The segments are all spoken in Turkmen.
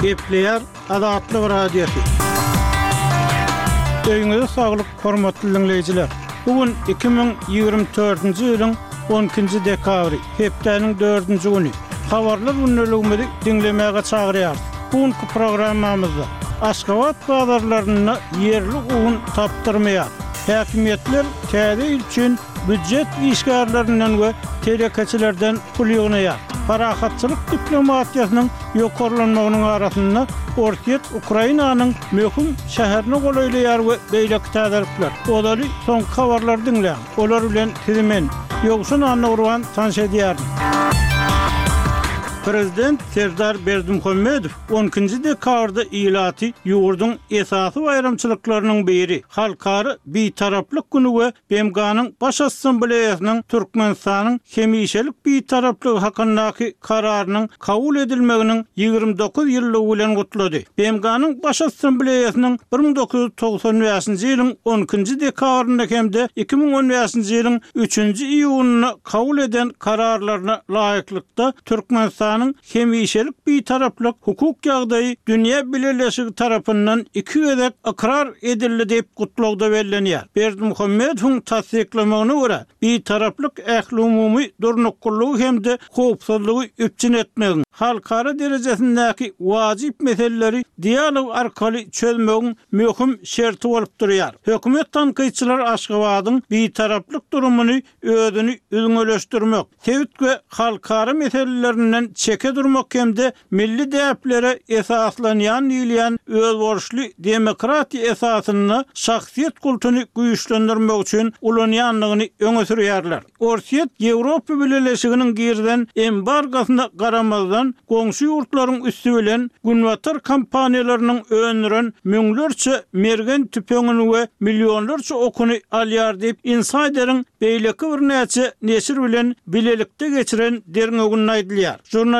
Gepleýär Azatlyk Radiosy. Öýüňize saglyk, hormatly diňleýjiler! Bu gün 2024-nji ýylyň 12-nji dekabry, hepdäniň dördünji güni. Habarlar gündeligimizi diňlemäge çagyrýarys. Bu günki programmamyzda Aşgabat bazarlarynda ýerli un tapdyrmaýar. Häkimiýetler täze ýyl üçin býujet işgärlerinden we telekeçilerden pul ýygnaýar. Parahatçylyk diplomatiýasynyň ýokarlanmagynyň arasynda Orsýet Ukrainanyň möhüm şäherine golaýlaýar we beýleki täzelikler. Ozaly soňky habarlary diňläň. Olar bilen sizi men, Ýowşan Annagurban tanyş edýärin. Prezident Serdar Berdimuhamedow on ikinji dekabrda ilaty ýurduň esasy baýramçylyklarynyň biri, Halkara Bitaraplyk güni we BMG-niň Baş Assambleýasynyň Türkmenistanyň hemişelik Bitaraplygy hakyndaky Kararynyň kabul edilmeginiň 29 ýyllygy bilen gutlady. BMG-niň Baş Assambleýasynyň 1995-nji ýylyň on ikinji dekabrynda hem-de 2015-nji ýylyň üçünji iýunynda kabul eden Kararlaryna laýyklykda, Türkmenistanyň hemişelik Bitaraplyk hukuk ýagdaýy dünýä bileleşigi tarapyndan iki gezek ykrar edildi diýip, gutlagda bellenýär. Berdimuhamedowyň tassyklamagyna görä, Bitaraplyk ählumumy durnuklylygy hem-de howpsuzlygy üpjün etmegiň, halkara derejesindäki wajyp meseleleri dialog arkaly çözmegiň möhüm şerti bolup durýar. Hökümet tankytçylary Aşgabadyň Bitaraplyk durumyny özüni üzňeleşdirmek, sebit we halkara meselelerinden çeke durmak hem-de milli däplere esaslanýan diýilýän özboluşly demokratiýa esasynda şahsyýet kultuny güýçlendirmek üçin ulanýandygyny öňe sürýärler. Orsýet Ýewropa Bileleşiginiň girizen embargosyna garamazdan, goňşy ýurtlaryň üsti bilen günbatar kompaniýalarynyň öndüren müňlerçe mergen tüpeňini we millionlarça okuny alýar diýip, Insider-iň beýleki birnäçe neşir bilen bilelikde geçiren derňewinde aýdylýar. Žurnalistler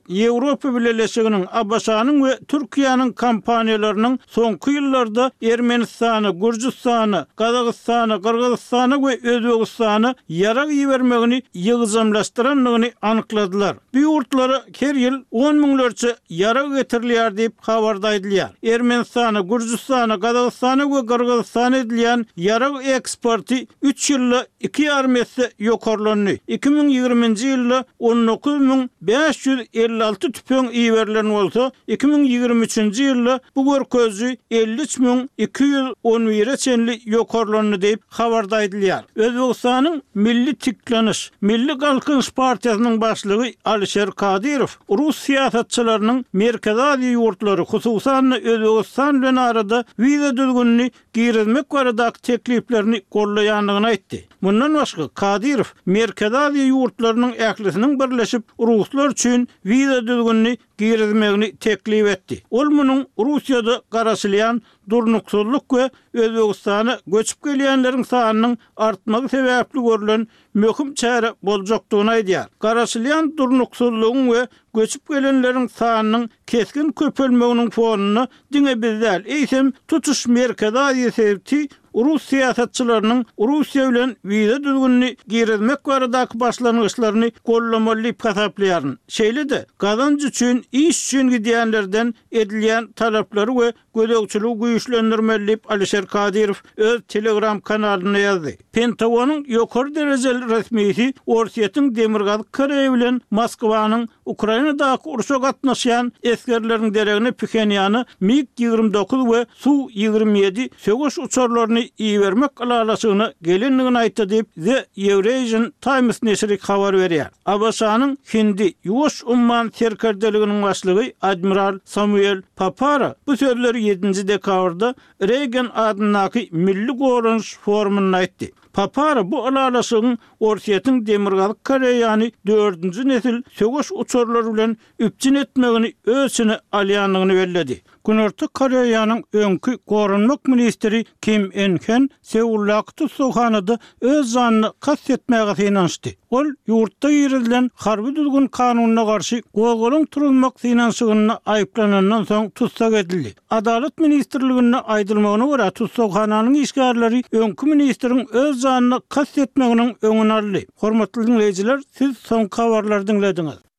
Ýewropa Bileleşiginiň, ABŞ-nyň we Türkiýäniň kompaniýalarynyň soňky ýyllarda Ermenistana, Gürjüstana, Gazagystana, Gyrgyzystana we Özbegistana ýarag ibermegini ýygjamlaşdyrandygyny anykladylar. Bu ýurtlara her ýyl on müňlerçe ýarag getirilýär diýip, habarda aýdylýar. Ermenistana, Gürjüstana, Gazagystana we Gyrgyzystana edilýän ýarag eksporty üç ýylda iki ýarym esse ýokarlandy. 2020-nji ýylda 19556 tüpeň iberilen bolsa, 2023-nji ýylda bu görkeziji 53211-e çenli ýokarlandy diýip, habarda aýdylýar. Özbegistanyň Milli tikleniş, Milli galkynyş partiýasynyň başlygy Alişer Kadyrow rus syýasatçylarynyň Merkezi Aziýa ýurtlary, hususan-da Özbegistan bilen arada wiza düzgünini girizmek baradaky tekliplerini goldaýandygyny aýtdy. Mundan başga, Kadyrow Merkezi Aziýa ýurtlarynyň ählisiniň birleşip, ruslar üçin wiza düzgünini girizmegini teklip etdi. Ol munuň Russiýada garaşylýan durnuksyzlyk we Özbegistana göçüp gelýänleriň sanynyň artmagy sebäpli görlen möhüm çäre boljakdygyny aýdýar. Garaşylýan durnuksyzlygyň we göçüp gelenleriň sanynyň kesgin köpelmeginiň fonunda diňe biz däl, eýsem, tutuş Merkezi Aziýa sebiti rus syýasatçylarynyň Russiýa bilen wiza düzgünini girizmek baradaky başlangyçlaryny goldamaly diýip hasaplaýaryn. Şeýle-de, gazanç üçin, iş üçin gidýänlerden edilýän talaplary we gözegçiligi güýçlendirmeli diýip, Alişer Kadyrow öz Telegram kanalynda ýazdy. Pentagonyň ýokary derejeli resmisi Orsýetiň Demirgazyk Koreýa bilen Moskwanyň Ukrainadaky urşa gatnaşýan esgerleriň deregine Phenýana MiG 29 we Su 27 söweş uçarlaryny ibermek ylalaşygyna gelendigini aýtdy diýip, The Eurasian Times neşiri habar berýär. ABŞ-nyň Hindi, Ýuwaş umman serkerdeliginiň başlygy admiral Samuel Papara bu sözleri ýedinji dekabrda Reýgan adyndaky Milli goranyş forumynda aýtdy. Papara bu ylalaşygyň Orsýetiň Demirgazyk Koreýany dördünji nesil söweş uçarlary bilen üpjün etmegini öz içine alýandygyny belledi. Günorta Koreýanyň öňki goranmak ministri Kim En Hen Seuldaky tussaghanada öz janyna kast etmäge synanyşdy. Ol ýurtda girizilen harby düzgün-kanunyna garşy gozgalaň turuzmak synanyşygynda aýyplanandan soň tussag edildi. Adalat ministrliginde aýdylmagyna görä, tussaghananyň işgärleri öňki ministriň öz janyna kast etmeginiň öňüni aldy. Hormatly diňleýjiler, siz soňky habarlary diňlediňiz.